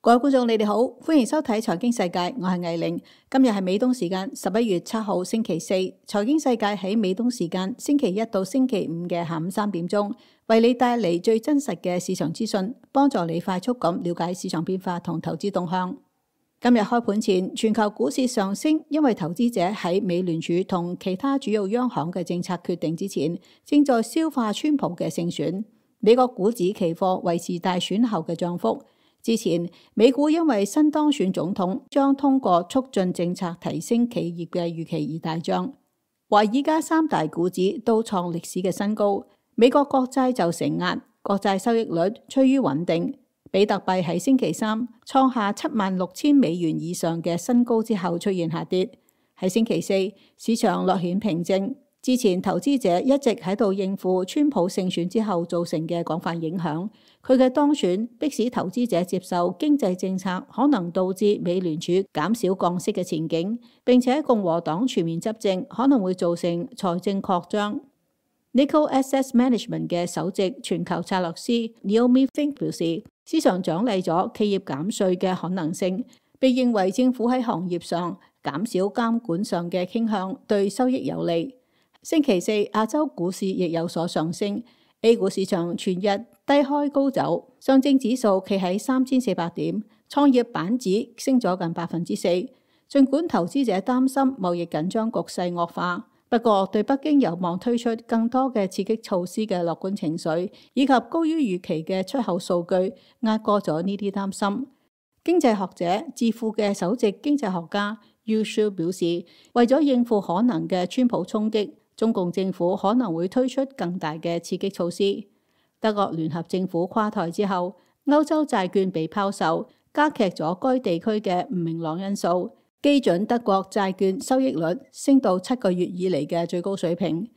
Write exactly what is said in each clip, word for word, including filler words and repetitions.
各位觀眾，你哋好，歡迎收睇財經世界，我係藝玲。今日係美東時間十一月七號星期四，財經世界喺美東時間星期一到星期五嘅下午三點鐘，為你帶嚟最真實嘅市場資訊，幫助你快速咁了解市場變化同投資動向。今日開盤前，全球股市上升，因為投資者喺美聯儲同其他主要央行嘅政策決定之前，正在消化川普嘅勝選。美國股指期貨維持大選後嘅漲幅。之前，美股因為新當選總統將通過促進政策提升企業嘅預期而大漲。華爾街三大股指都創歷史嘅新高，美國國債就承壓，國債收益率趨於穩定。比特幣喺星期三創下七萬六千美元以上嘅新高之後出現下跌。喺星期四，市場略顯平靜。之前投資者一直喺度應付川普勝選之後造成嘅廣泛影響，佢嘅當選迫使投資者接受經濟政策可能導致美聯儲減少降息嘅前景，並且共和黨全面執政可能會造成財政擴張。Nikko Asset Management 嘅首席全球策略師 Naomi Fink 表示，市場獎勵咗企業減稅嘅可能性，被認為政府喺行業上減少監管上嘅傾向對收益有利。星期四，亞洲股市亦有所上升 ，A 股市場全日低開高走，上證指數企喺三千四百點，創業板指升咗近百分之四。儘管投資者擔心貿易緊張局勢惡化，不過對北京有望推出更多嘅刺激措施嘅樂觀情緒，以及高於預期嘅出口數據，壓過咗呢啲擔心。經濟學者智庫嘅首席經濟學家 Yu Shu 表示，為咗應付可能嘅川普衝擊，中共政府可能會推出更大嘅刺激措施。德國聯合政府垮台之後，歐洲債券被拋售，加劇咗該地區嘅唔明朗因素。基準德國債券收益率升到七個月以嚟嘅最高水平。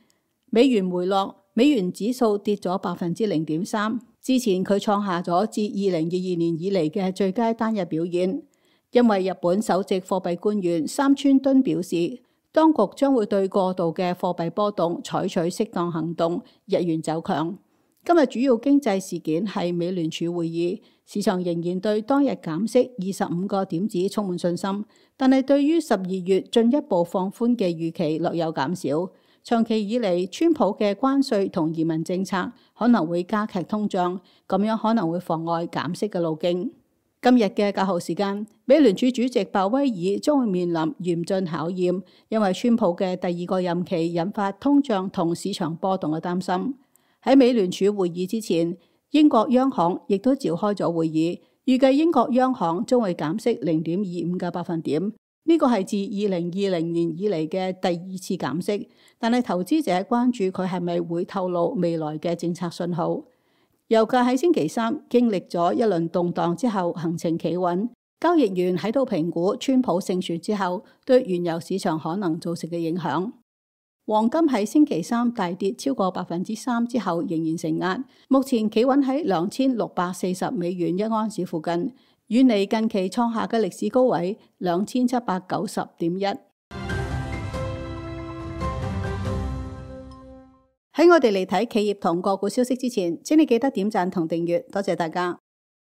美元回落，美元指數跌咗百分之零點三。之前佢創下咗自二零二二年以嚟嘅最佳單日表現。因為日本首席貨幣官員三村敦表示，當局將會對過度嘅貨幣波動採取適當行動，日元走強。今日主要經濟事件係美聯儲會議，市場仍然對當日減息二十五個點子充滿信心，但係對於十二月進一步放寬嘅預期略有減少。長期以嚟，川普嘅關稅同移民政策可能會加劇通脹，咁樣可能會妨礙減息嘅路徑。今日嘅較後時間，美聯儲主席鮑威爾將會面臨嚴峻考驗，因為川普嘅第二個任期引發通脹同市場波動嘅擔心。喺美聯儲會議之前，英國央行亦都召開咗會議，預計英國央行將會減息零點二五個百分點，呢個係自二零二零年以嚟嘅第二次減息，但係投資者關注佢係咪會透露未來嘅政策信號。油價喺星期三經歷咗一輪動盪之後，行情企穩。交易員喺度評估川普勝選之後對原油市場可能造成嘅影響。黃金喺星期三大跌超過百分之三之後，仍然承壓，目前企穩喺兩千六百四十美元一盎司附近，遠離近期創下嘅歷史高位兩千七百九十點一。喺我哋嚟睇企業同個股消息之前，請你記得點讚同訂閱，多謝大家。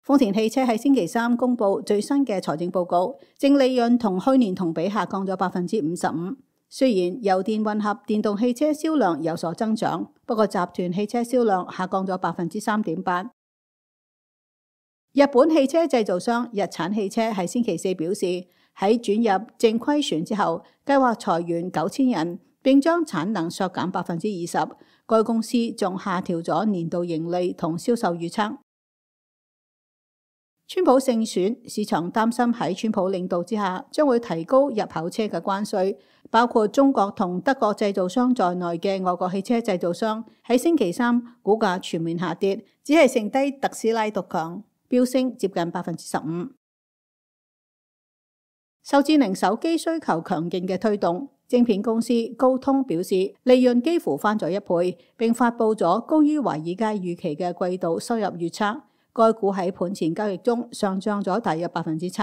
豐田汽車喺星期三公布最新嘅財政報告，淨利潤同去年同比下降咗百分之五十五。雖然油電混合電動汽車銷量有所增長，不過集團汽車銷量下降咗百分之三點八。日本汽車製造商日產汽車喺星期四表示，喺轉入正虧損之後，計劃裁員九千人，並將產能削減百分之二十。該公司仲下調咗年度盈利同銷售預測。川普勝選，市場擔心喺川普領導之下，將會提高入口車嘅關稅，包括中國同德國製造商在內嘅外國汽車製造商喺星期三股價全面下跌，只係剩低特斯拉獨強，飆升接近百分之十五。受智能手機需求強勁嘅推動，晶片公司高通表示利潤幾乎翻咗一倍，並發佈咗高於華爾街預期嘅季度收入預測。該股喺盤前交易中上漲咗大約百分之七。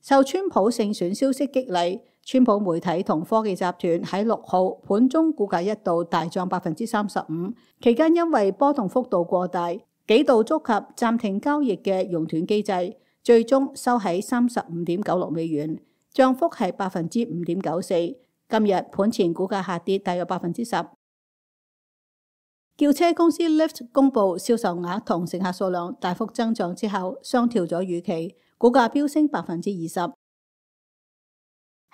受川普勝選消息激勵，川普媒體同科技集團喺六號盤中股價一度大漲百分之三十五，期間因為波動幅度過大，幾度觸及暫停交易嘅熔斷機制，最終收喺三十五點九六美元，漲幅係百分之五點九四。今日盤前股價下跌大約百分之十。轎車公司 Lyft 公佈銷售額同乘客數量大幅增長之後，上調咗預期，股價飆升百分之二十。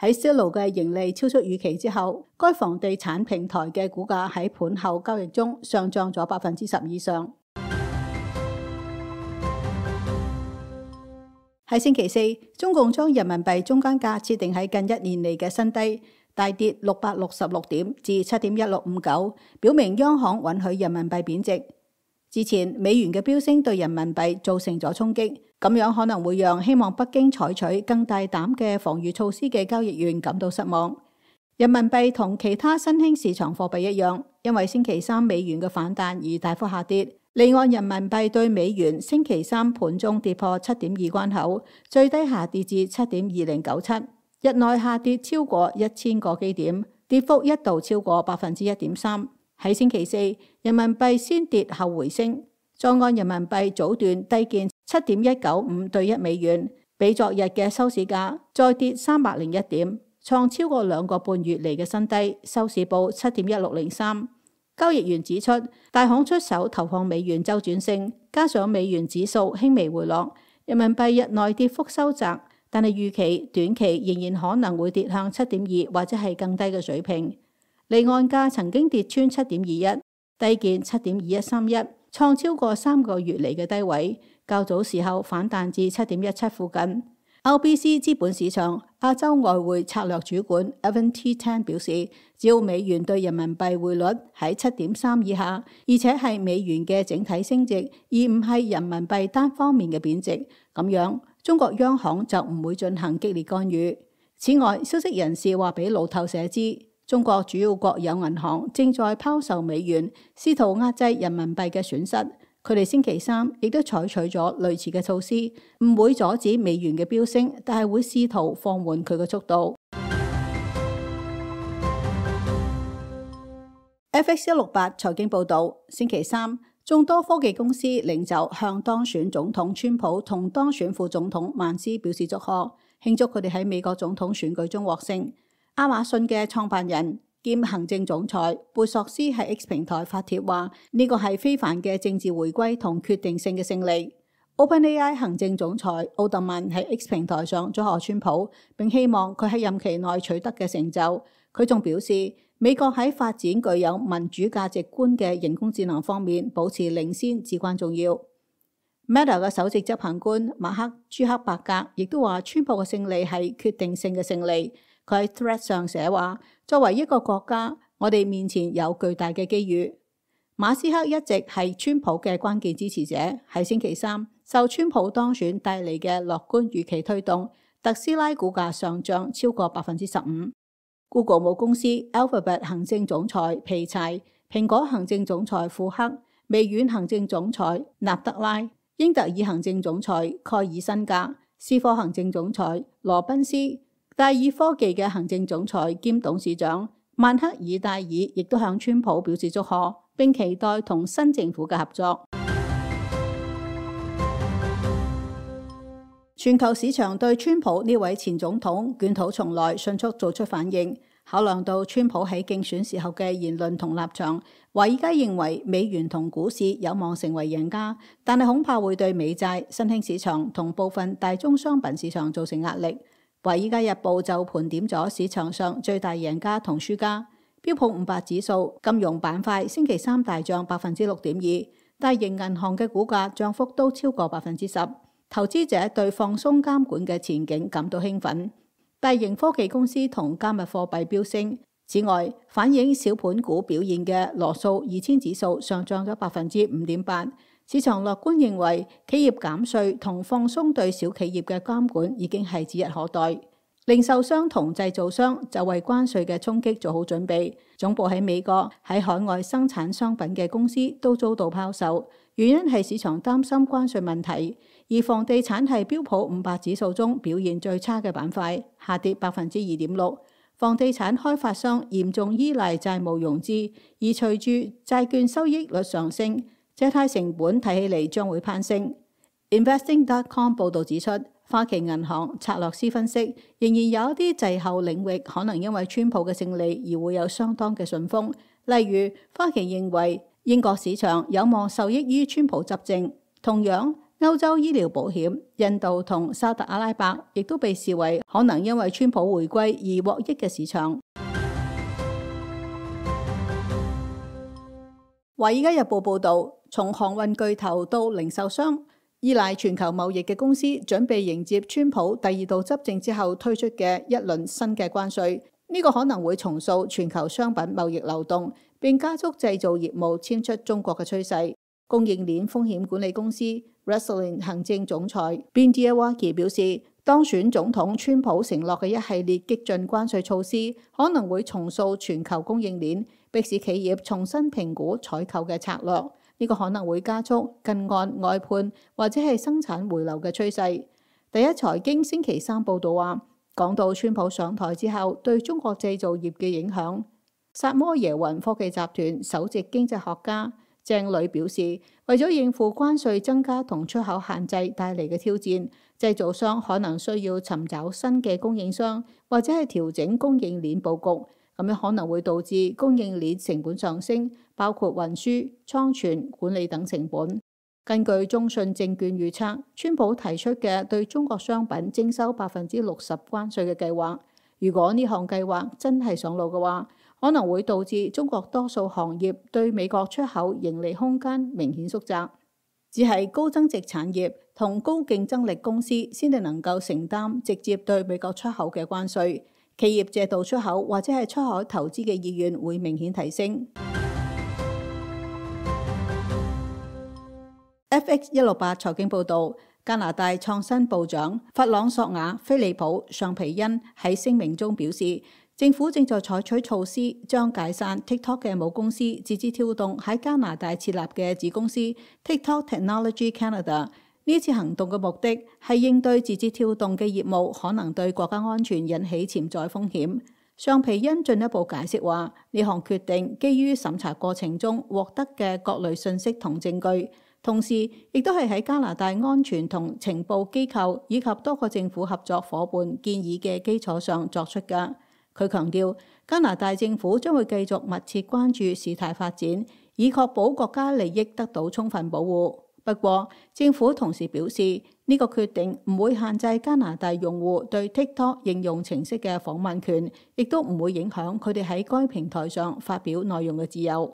喺 Zillow 嘅盈利超出預期之後，該房地產平台嘅股價喺盤後交易中上漲咗百分之十以上。喺星期四，中共將人民幣中間價設定喺近一年嚟嘅新低，大跌六百六十六點至七點一六五九，表明央行允許人民幣貶值。之前美元嘅飆升對人民幣造成咗衝擊，咁樣可能會讓希望北京採取更大膽嘅防禦措施嘅交易員感到失望。人民幣同其他新興市場貨幣一樣，因為星期三美元嘅反彈而大幅下跌。離岸人民幣對美元星期三盤中跌破七點二關口，最低下跌至七點二零九七，日內下跌超過一千個基點，跌幅一度超過百分之一點三。喺星期四，人民幣先跌後回升，在岸人民幣早段低見七點一九五對一美元，比昨日嘅收市價再跌三百零一點，創超過兩個半月嚟嘅新低，收市報七點一六零三。交易員指出，大行出手投放美元周轉性，加上美元指數輕微回落，人民幣日內跌幅收窄，但係預期短期仍然可能會跌向七點二或者係更低嘅水平。離岸價曾經跌穿七點二一，低見七點二一三一，創超過三個月嚟嘅低位。較早時候反彈至七點一七附近。R B C 資本市場亞洲外匯策略主管 Evan T. Tan 表示，只要美元對人民幣匯率喺七點三以下，而且係美元嘅整體升值，而唔係人民幣單方面嘅貶值，咁樣中國央行就唔會進行激烈干預。此外，消息人士話俾路透社知，中國主要國有銀行正在拋售美元，試圖壓制人民幣嘅損失。佢哋星期三亦都採取咗類似嘅措施，唔會阻止美元嘅飆升，但係會試圖放緩佢嘅速度。F X 一六八財經報導，星期三，眾多科技公司領袖向當選總統川普同當選副總統曼斯表示祝賀，慶祝佢哋喺美國總統選舉中獲勝。亞馬遜嘅創辦人兼行政總裁貝索斯喺 X 平台發帖話，呢個係非凡嘅政治回歸同決定性嘅勝利。OpenAI 行政總裁奧特曼喺 X 平台上祝賀川普，並希望佢喺任期內取得嘅成就。佢仲表示，美國喺發展具有民主價值觀嘅人工智能方面保持領先至關重要。Meta 嘅首席執行官馬克朱克伯格亦都話，川普嘅勝利係決定性嘅勝利。佢喺 Thread 上寫話，作為一個國家，我哋面前有巨大嘅機遇。馬斯克一直係川普嘅關鍵支持者，喺星期三受川普當選帶嚟嘅樂觀預期推動，特斯拉股價上漲超過百分之十五。Google 母公司 Alphabet 行政總裁皮柴、蘋果行政總裁庫克、微軟行政總裁納德拉、英特爾行政總裁蓋爾辛格、思科行政總裁羅賓斯、戴爾科技嘅行政總裁兼董事長曼克爾戴爾亦都向川普表示祝賀，並期待同新政府嘅合作。全球市場對川普呢位前總統捲土重來迅速做出反應，考量到川普喺競選時候嘅言論同立場，華爾街認為美元同股市有望成為贏家，但係恐怕會對美債、新興市場同部分大宗商品市場造成壓力。華爾街日報就盤點咗市場上最大贏家同輸家。標普五百指數金融板塊星期三大漲百分之六點二，大型銀行嘅股價漲幅都超過百分之十。投資者對放鬆監管嘅前景感到興奮。大型科技公司同加密貨幣飆升。此外，反映小盤股表現嘅羅素二千指數上漲咗百分之五點八。市場樂觀認為，企業減稅同放鬆對小企業嘅監管已經係指日可待。零售商同製造商就為關稅嘅衝擊做好準備。總部喺美國、喺海外生產商品嘅公司都遭到拋售，原因係市場擔心關稅問題。而房地產係標普五百指數中表現最差嘅板塊，下跌百分之二點六。房地產開發商嚴重依賴債務融資，而隨住債券收益率上升，借貸成本睇起嚟將會攀升。Investing dot com 報導指出，花旗銀行策略師分析，仍然有一啲滯後領域可能因為川普嘅勝利而會有相當嘅順風。例如，花旗認為英國市場有望受益於川普執政。同樣，歐洲醫療保險、印度同沙特阿拉伯亦都被視為可能因為川普回歸而獲益嘅市場。華爾街日報報導，從航運巨頭到零售商，依賴全球貿易嘅公司準備迎接川普第二度執政之後推出嘅一輪新嘅關稅。呢個可能會重塑全球商品貿易流動，並加速製造業務遷出中國嘅趨勢。供應鏈風險管理公司 Restylane 行政總裁 Bindia Waki 表示，當選總統川普承諾嘅一系列激進關稅措施，可能會重塑全球供應鏈，迫使企業重新評估採購嘅策略。呢個可能會加速近岸外判或者係生產回流嘅趨勢。第一財經星期三報導話，講到川普上台之後對中國製造業嘅影響，薩摩耶雲科技集團首席經濟學家鄭磊表示，為咗應付關稅增加同出口限制帶嚟嘅挑戰，製造商可能需要尋找新嘅供應商，或者係調整供應鏈佈局，咁樣可能會導致供應鏈成本上升，包括運輸、倉存、管理等成本。根據中信證券預測，川普提出嘅對中國商品徵收百分之六十關稅嘅計劃，如果呢項計劃真係上路嘅話，可能會導致中國多數行業對美國出口盈利空間明顯縮窄，只係高增值產業同高競爭力公司先至能夠承擔直接對美國出口嘅關稅，企業借道出口或者係出海投資嘅意願會明顯提升。F X 一六八財經報導，加拿大創新部長弗朗索瓦·菲利普·尚皮恩喺聲明中表示，政府正在採取措施，將解散 TikTok 嘅母公司字節跳動喺加拿大設立嘅子公司 TikTok Technology Canada。呢次行動嘅目的係應對字節跳動嘅業務可能對國家安全引起潛在風險。尚皮恩進一步解釋話，呢項決定基於審查過程中獲得嘅各類信息同證據，同時亦都係喺加拿大安全同情報機構以及多個政府合作夥伴建議嘅基礎上作出嘅。佢強調，加拿大政府將會繼續密切關注事態發展，以確保國家利益得到充分保護。不過，政府同時表示，呢個決定唔會限制加拿大用戶對 TikTok 應用程式嘅訪問權，亦都唔會影響佢哋喺該平台上發表內容嘅自由。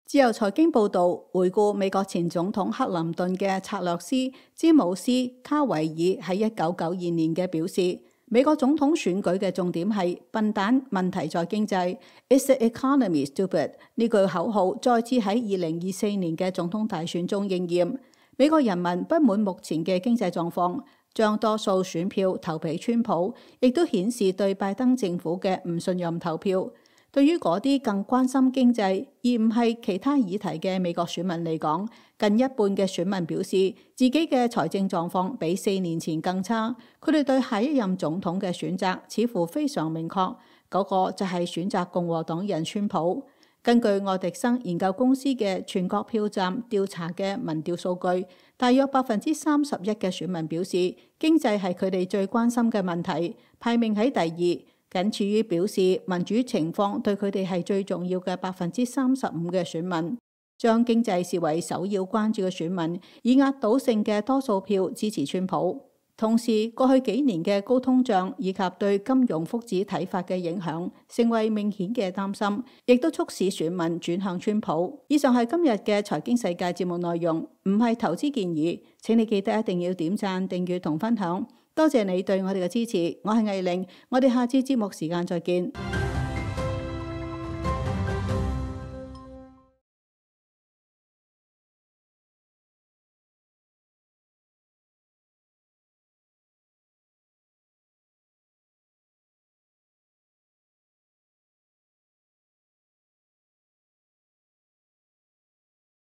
自由財經報導，回顧美國前總統克林頓嘅策略師詹姆斯·卡維爾喺一九九二年嘅表示，美國總統選舉嘅重點係笨蛋，問題在經濟 ，Is the economy stupid？ 呢句口號再次喺二零二四年嘅總統大選中應驗。美國人民不滿目前嘅經濟狀況，將多數選票投俾川普，亦都顯示對拜登政府嘅唔信任投票。對於嗰啲更關心經濟而唔係其他議題嘅美國選民嚟講，近一半嘅選民表示自己嘅財政狀況比四年前更差。佢哋對下一任總統嘅選擇似乎非常明確，嗰個就係選擇共和黨人川普。根據愛迪生研究公司嘅全國票站調查嘅民調數據，大約百分之三十一嘅選民表示經濟係佢哋最關心嘅問題，排名喺第二。僅次於表示民主情況對佢哋係最重要嘅百分之三十五嘅選民，將經濟視為首要關注嘅選民，以壓倒性嘅多數票支持川普。同時，過去幾年嘅高通脹以及對金融福祉睇法嘅影響，成為明顯嘅擔心，亦都促使選民轉向川普。以上係今日嘅財經世界節目內容，唔係投資建議，請你記得一定要點讚、訂閱同分享。多謝你對我哋嘅支持，我係藝玲，我哋下次節目時間再見。